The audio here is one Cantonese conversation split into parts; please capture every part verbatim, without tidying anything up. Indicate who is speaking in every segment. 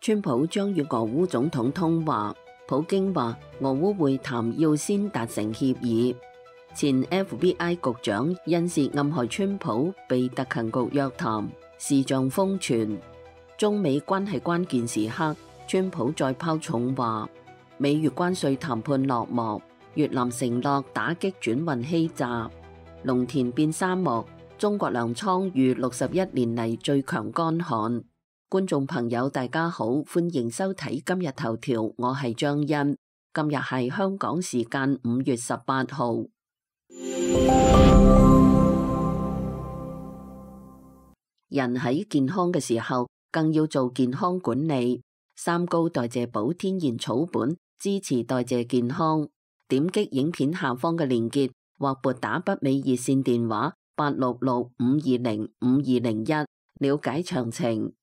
Speaker 1: 川普將與俄烏總統通話，普京話俄烏會談要先達成協議。前 F B I 局長因涉暗害川普被特勤局約談，視像瘋傳。中美關係關鍵時刻，川普再拋重話。美越關稅談判落幕，越南承諾打擊轉運欺詐。農田變沙漠，中國糧倉遇六十一年嚟最強乾旱。觀眾朋友大家好，歡迎收睇今日頭條，我係張欣。今日係香港時間五月十八號。人喺健康嘅時候，更要做健康管理。三高代謝寶天然草本，支持代謝健康。點擊影片下方嘅連結，或撥打北美熱線電話八六六五二零五二零一，了解詳情。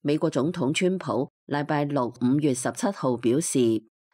Speaker 1: 美國總統川普禮拜六五月十七號表示，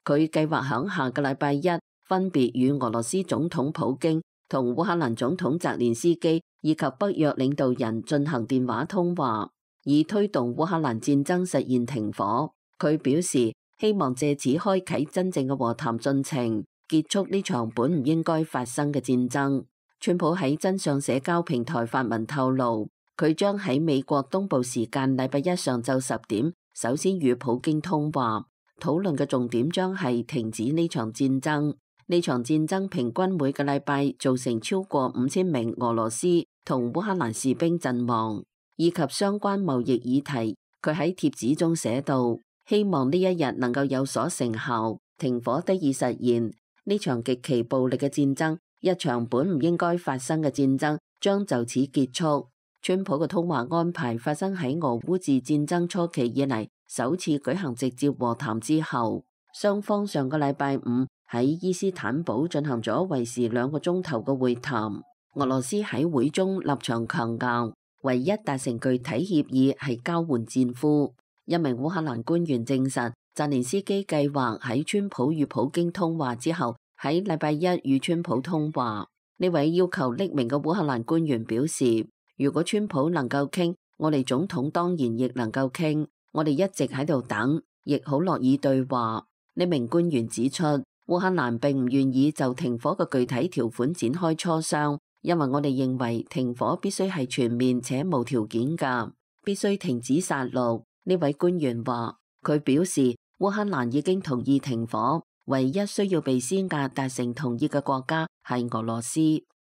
Speaker 1: 佢計劃響下個禮拜一分別與俄羅斯總統普京同烏克蘭總統澤連斯基以及北約領導人進行電話通話，以推動烏克蘭戰爭實現停火。佢表示希望借此開啟真正嘅和談進程，結束呢場本唔應該發生嘅戰爭。川普喺真相社交平台發文透露，佢將喺美國東部時間禮拜一上晝十點首先與普京通話，討論嘅重點將係停止呢場戰爭。呢場戰爭平均每個禮拜造成超過五千名俄羅斯同烏克蘭士兵陣亡，以及相關貿易議題。佢喺帖子中寫道，希望呢一日能夠有所成效，停火得以實現。呢場極其暴力嘅戰爭，一場本唔應該發生嘅戰爭，將就此結束。川普嘅通話安排發生喺俄烏自戰爭初期以嚟首次舉行直接和談之後，雙方上個禮拜五喺伊斯坦堡進行咗為時兩個鐘頭嘅會談。俄羅斯喺會中立場強硬，唯一達成具體協議係交換戰俘。一名烏克蘭官員證實，澤連斯基計劃喺川普與普京通話之後，喺禮拜一與川普通話。呢位要求匿名嘅烏克蘭官員表示，如果川普能夠傾，我哋總統當然亦能夠傾。我哋一直喺度等，亦好樂意對話。呢名官員指出，烏克蘭並唔願意就停火嘅具體條款展開磋商，因為我哋認為停火必須係全面且無條件㗎，必須停止殺戮。呢位官員話，佢表示烏克蘭已經同意停火，唯一需要被施壓達成同意嘅國家係俄羅斯。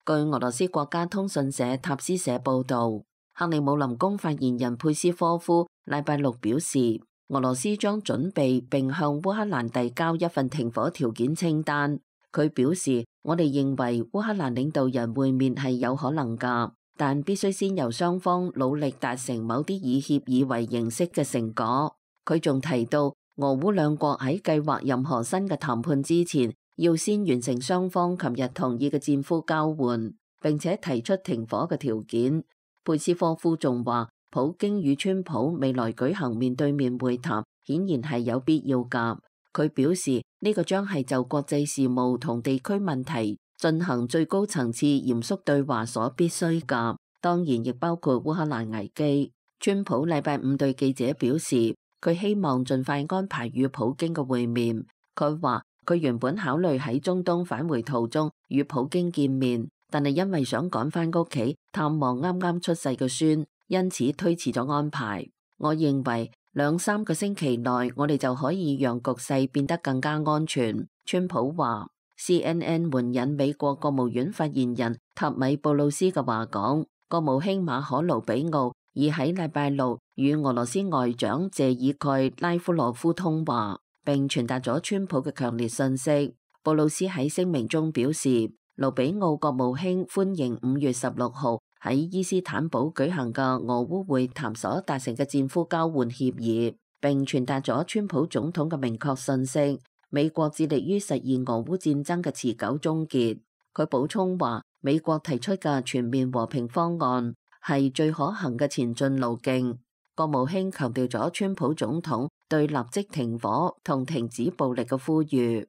Speaker 1: 據俄羅斯國家通訊社塔斯社報導，克里姆林宮發言人佩斯科夫禮拜六表示，俄羅斯將準備並向烏克蘭遞交一份停火條件清單。佢表示，我哋認為烏克蘭領導人會面係有可能㗎，但必須先由雙方努力達成某啲以協議為形式嘅成果。佢仲提到，俄烏兩國喺計劃任何新嘅談判之前，要先完成雙方琴日同意嘅戰俘交換，並且提出停火嘅條件。佩斯科夫仲話，普京與川普未來舉行面對面會談，顯然係有必要㗎。佢表示，呢個將係就國際事務同地區問題進行最高層次嚴肅對話所必須㗎，當然亦包括烏克蘭危機。川普禮拜五對記者表示，佢希望盡快安排與普京嘅會面。佢話，佢原本考慮喺中東返回途中與普京見面，但係因為想趕返屋企探望啱啱出世嘅孫，因此推遲咗安排。我認為兩三個星期內我哋就可以讓局勢變得更加安全。川普話。C N N 援引美國國務院發言人塔米布魯斯嘅話講，國務卿馬可盧比奧已喺禮拜六與俄羅斯外長謝爾蓋拉夫羅夫通話，並傳達咗川普嘅強烈訊息。布魯斯喺聲明中表示，盧比奧國務卿歡迎五月十六號喺伊斯坦堡舉行嘅俄烏會談所達成嘅戰俘交換協議，並傳達咗川普總統嘅明確訊息。美國致力於實現俄烏戰爭嘅持久終結。佢補充話，美國提出嘅全面和平方案係最可行嘅前進路徑。國務卿強調咗川普總統對立即停火同停止暴力嘅呼籲。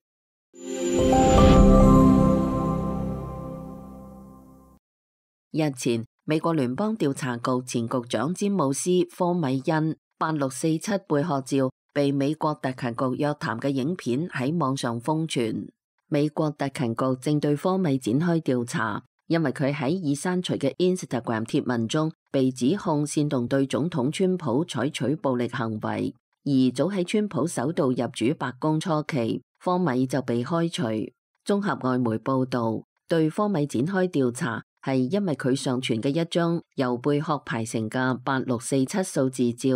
Speaker 1: 日前，美國聯邦調查局前局長詹姆斯科米恩八六四七貝殼照被美國特勤局約談嘅影片喺網上瘋傳。美國特勤局正對科米展開調查，因為佢喺已刪除嘅 Instagram 貼文中被指控煽動對總統川普採取暴力行為。而早喺川普首度入主白宮初期，科米就被開除。綜合外媒報道，對科米展開調查係因為佢上傳嘅一張由貝殼排成嘅八六四七數字照，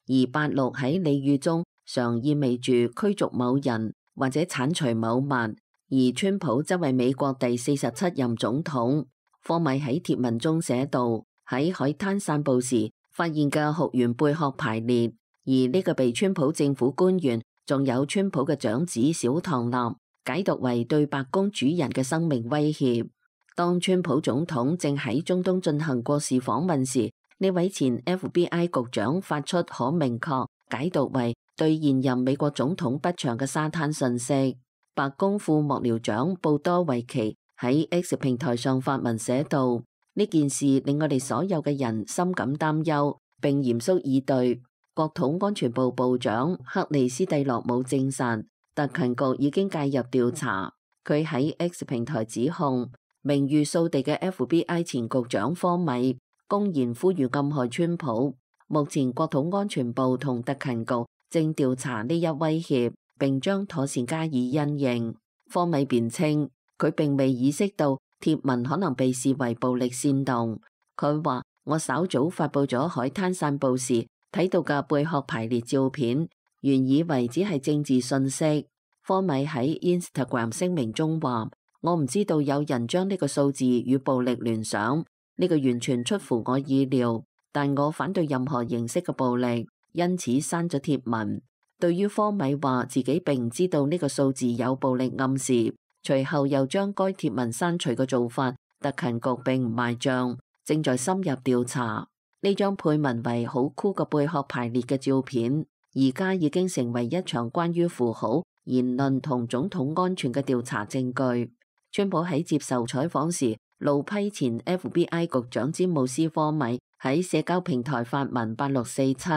Speaker 1: 而八六喺俚語中常意味住驅逐某人或者剷除某物，而川普則為美國第四十七任總統。科米喺貼文中寫道：喺海灘散步時發現嘅學員貝殼排列。而呢個被川普政府官員，仲有川普嘅長子小唐納解讀為對白宮主人嘅生命威脅。當川普總統正喺中東進行國事訪問時，呢位前 F B I 局長發出可明確解讀為對現任美國總統不祥嘅沙灘訊息。白宮副幕僚長布多維奇喺 X 平台上發文寫道：呢件事令我哋所有嘅人深感擔憂，並嚴肅以對。國土安全部部長克里斯蒂洛姆證實，特勤局已經介入調查。佢喺 X 平台指控名譽掃地嘅 F B I 前局長科米公然呼籲暗害川普。目前國土安全部同特勤局正調查呢一威脅，並將妥善加以因應。科米辯稱佢並未意識到貼文可能被視為暴力煽動。佢話：我稍早發佈咗海灘散步時睇到嘅貝殼排列照片，原以為只係政治信息。科米喺 Instagram 聲明中話：我唔知道有人將呢個數字與暴力聯想，呢個完全出乎我意料，但我反對任何形式嘅暴力，因此刪咗貼文。對於科米話自己並唔知道呢個數字有暴力暗示，隨後又將該貼文刪除嘅做法，特勤局並唔賣賬，正在深入調查。呢張配文為好酷嘅貝殼排列嘅照片，而家已經成為一場關於符號、言論同總統安全嘅調查證據。川普喺接受採訪時，怒批前 F B I 局長詹姆斯科米喺社交平台發文八六四七，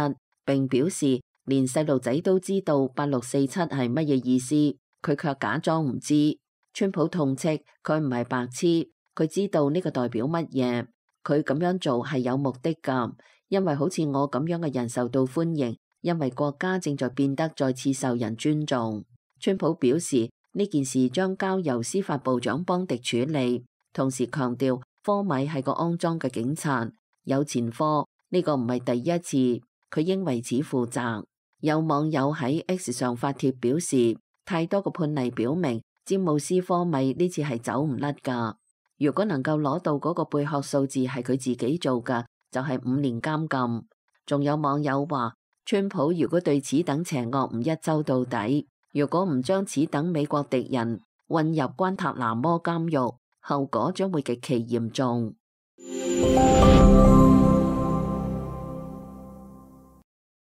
Speaker 1: 並表示連細路仔都知道八六四七係乜嘢意思，佢卻假裝唔知。川普痛斥佢唔係白痴，佢知道呢個代表乜嘢。佢咁樣做係有目的㗎，因為好似我咁樣嘅人受到歡迎，因為國家正在變得再次受人尊重。川普表示呢件事將交由司法部長邦迪處理，同時強調科米係個骯髒嘅警察，有前科，呢個唔係第一次，佢應為此負責。有網友喺 X 上發帖表示，太多個判例表明詹姆斯科米呢次係走唔甩㗎。如果能夠攞到嗰個貝殼數字係佢自己做嘅，就係五年監禁。仲有網友話，川普如果對此等邪惡唔一周到底，如果唔將此等美國敵人混入關塔那摩監獄，後果將會極其嚴重。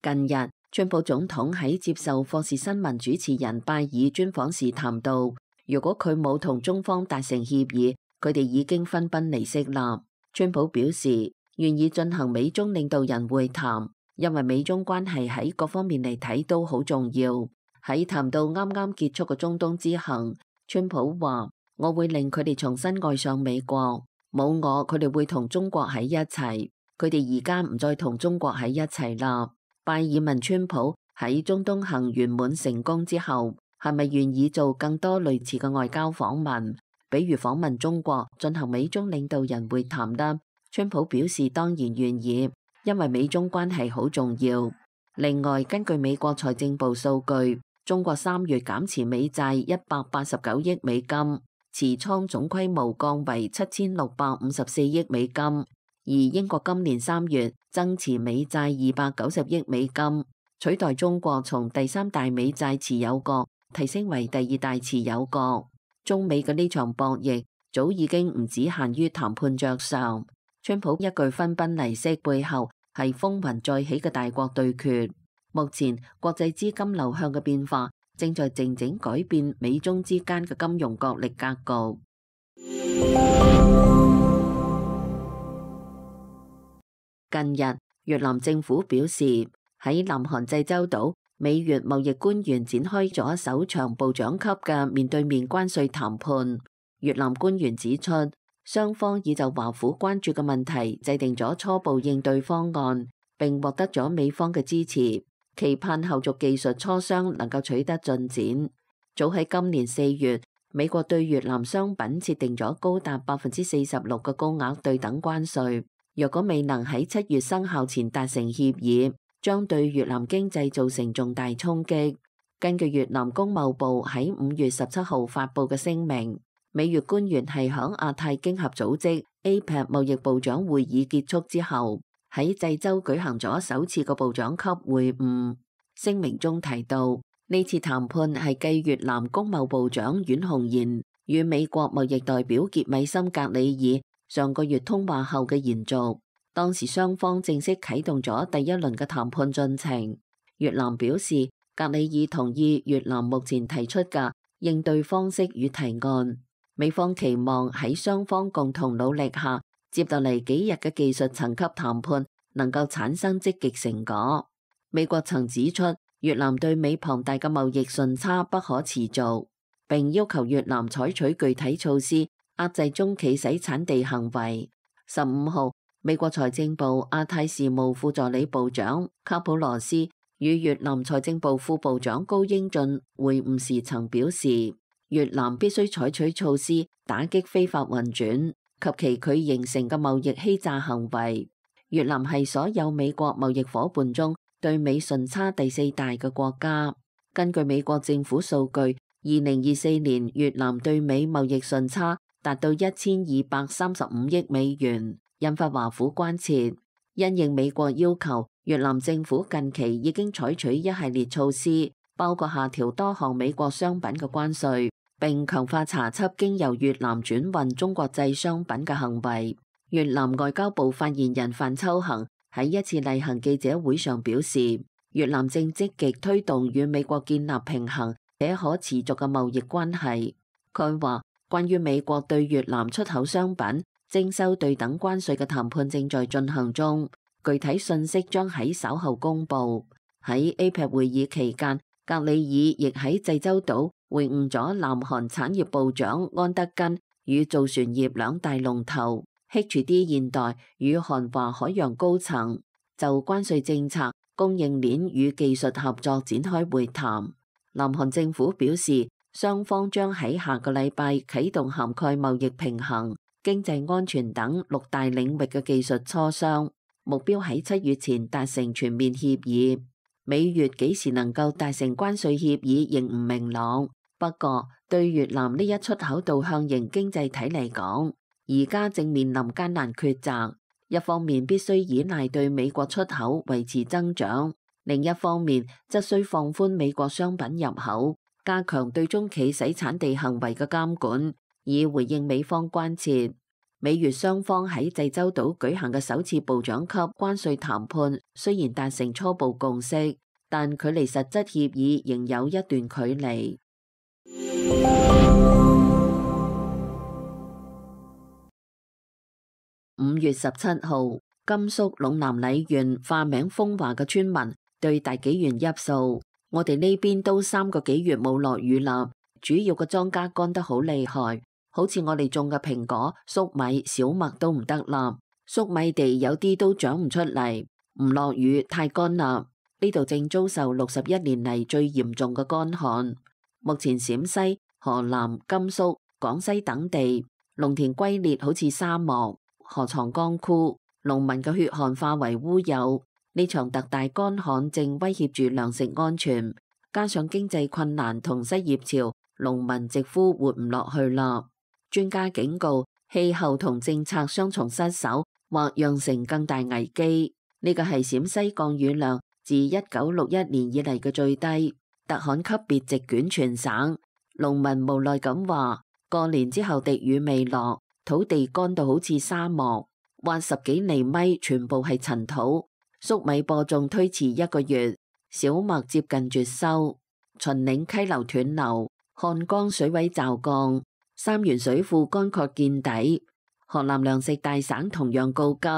Speaker 1: 近日，川普總統喺接受霍士新聞主持人拜爾專訪時談到，如果佢冇同中方達成協議，佢哋已經分崩離析啦。川普表示願意進行美中領導人會談，因為美中關係喺各方面嚟睇都好重要。喺談到啱啱結束嘅中東之行，川普話：我會令佢哋重新愛上美國，冇我佢哋會同中國喺一齊。佢哋而家唔再同中國喺一齊啦。拜爾問川普喺中東行圓滿成功之後，係咪願意做更多類似嘅外交訪問？比如訪問中國，進行美中領導人會談啦。川普表示當然願意，因為美中關係好重要。另外，根據美國財政部數據，中國三月減持美債一百八十九億美金，持倉總規模降為七千六百五十四億美金。而英國今年三月增持美債二百九十億美金，取代中國從第三大美債持有國提升為第二大持有國。中美嘅呢場博弈早已經唔只限於談判桌上，川普一句分崩離析背後係風雲再起嘅大國對決。目前國際資金流向嘅變化正在靜靜改變美中之間嘅金融角力格局。近日，越南政府表示喺南韓濟州島，美越貿易官員展開咗首場部長級嘅面對面關稅談判。越南官員指出，雙方已就華府關注嘅問題制定咗初步應對方案，並獲得咗美方嘅支持，期盼後續技術磋商能夠取得進展。早喺今年四月，美國對越南商品設定咗高達百分之四十六嘅高額對等關稅，若果未能喺七月生效前達成協議，將對越南經濟造成重大衝擊。根據越南工貿部喺五月十七號發布嘅聲明，美越官員係響亞太經合組織 A P E C 貿易部長會議結束之後，喺濟州舉行咗首次嘅部長級會晤。聲明中提到，呢次談判係繼越南工貿部長阮紅賢與美國貿易代表傑米森格里爾上個月通話後嘅延續。當時雙方正式啟動咗第一輪嘅談判進程。越南表示，格里爾同意越南目前提出嘅應對方式與提案。美方期望喺雙方共同努力下，接落嚟幾日嘅技術層級談判能夠產生積極成果。美國曾指出，越南對美龐大嘅貿易順差不可持續，並要求越南採取具體措施壓制中企洗產地行為。十五號，美國財政部亞太事務副助理部長卡普羅斯與越南財政部副部長高英俊會晤時曾表示，越南必須採取措施打擊非法運轉及其佢形成嘅貿易欺詐行為。越南係所有美國貿易夥伴中對美順差第四大嘅國家。根據美國政府數據，二零二四年越南對美貿易順差達到一千二百三十五億美元，引發華府關切。因應美國要求，越南政府近期已經採取一系列措施，包括下調多項美國商品嘅關稅，並強化查緝經由越南轉運中國製商品嘅行為。越南外交部發言人范秋恒喺一次例行記者會上表示，越南正積極推動與美國建立平衡且可持續嘅貿易關係。佢話，關於美國對越南出口商品徵收對等關稅嘅談判正在進行中，具體信息將喺稍後公佈。喺 A P E C 會議期間，格里爾亦喺濟州島會晤咗南韓產業部長安德根與造船業兩大龍頭H D 現代與韓華海洋高層，就關稅政策、供應鏈與技術合作展開會談。南韓政府表示，雙方將喺下個禮拜啟動涵蓋貿易平衡、經濟安全等六大領域嘅技術磋商，目標喺七月前達成全面協議。美越幾時能夠達成關稅協議仍唔明朗，不過對越南呢一出口導向型經濟體嚟講，而家正面臨艱難抉擇，一方面必須依賴對美國出口維持增長，另一方面則需放寬美國商品入口，加強對中企洗產地行為嘅監管，以回應美方關切。美越雙方喺濟州島舉行嘅首次部長級關稅談判，雖然達成初步共識，但距離實質協議仍有一段距離。五月十七號，甘肅隴南澧縣化名風華嘅村民對大紀元憶訴：我哋呢邊都三個幾月冇落雨啦，主要嘅莊稼乾得好厲害，好似我哋種嘅蘋果、粟米、小麥都唔得啦，粟米地有啲都長唔出嚟，唔落雨太乾啦。呢度正遭受六十一年嚟最嚴重嘅乾旱。目前陝西、河南、甘肅、廣西等地農田龜裂，好似沙漠。河床乾枯，農民嘅血汗化為烏有。呢場特大乾旱正威脅住糧食安全，加上經濟困難同失業潮，農民直呼活唔落去啦。專家警告，氣候同政策雙重失守，或釀成更大危機。呢個係陝西降雨量自一九六一年以嚟嘅最低，特旱級別席捲全省。農民無奈咁話：過年之後滴雨未落，土地乾到好似沙漠，挖十幾厘米全部係塵土。粟米播種推遲一個月，小麥接近絕收。秦嶺溪流斷流，漢江水位驟降，三原水庫乾涸見底。河南糧食大省同樣告急，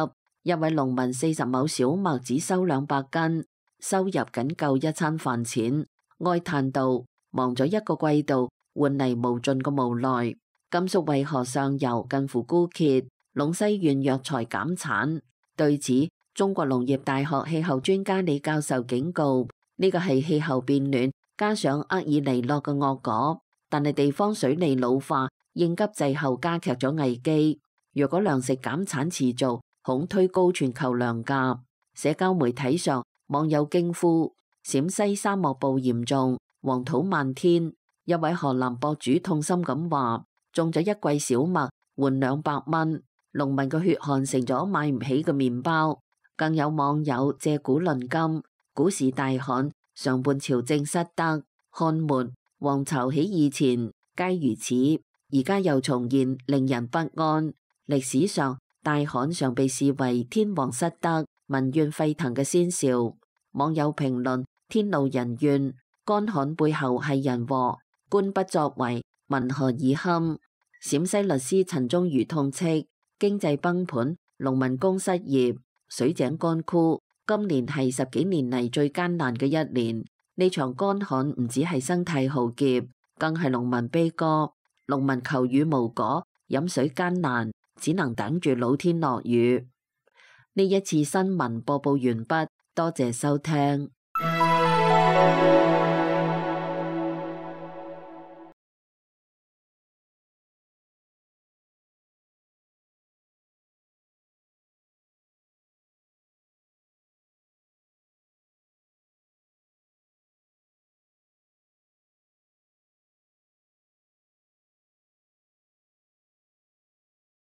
Speaker 1: 一位農民四十畝小麥只收兩百斤，收入僅夠一餐飯錢，哀嘆道：忙咗一個季度，換嚟無盡嘅無奈。甘肅渭河上游近乎枯竭，隴西縣藥材減產。對此，中國農業大學氣候專家李教授警告：呢個係氣候變暖加上厄爾尼諾嘅惡果，但係地方水利老化應急滯後加劇咗危機。若果糧食減產持續，恐推高全球糧價。社交媒體上，網友驚呼：陝西沙漠暴嚴重，黃土漫天。一位河南博主痛心咁話：種咗一季小麥換兩百蚊，農民嘅血汗成咗買唔起嘅麵包。更有網友借古論今，古時大旱，上半朝政失德，漢末黃巢起義前皆如此，而家又重現，令人不安。歷史上大旱常被視為天皇失德、民怨沸騰嘅先兆。網友評論：天怒人怨，乾旱背後係人禍，官不作為，民何以堪？陝西律師陳忠儒痛斥：經濟崩盤，農民工失業，水井乾枯，今年係十幾年嚟最艱難嘅一年。呢場乾旱唔止係生態浩劫，更係農民悲歌。農民求雨無果，飲水艱難，只能等住老天落雨。呢一次新聞播報完畢，多謝收聽。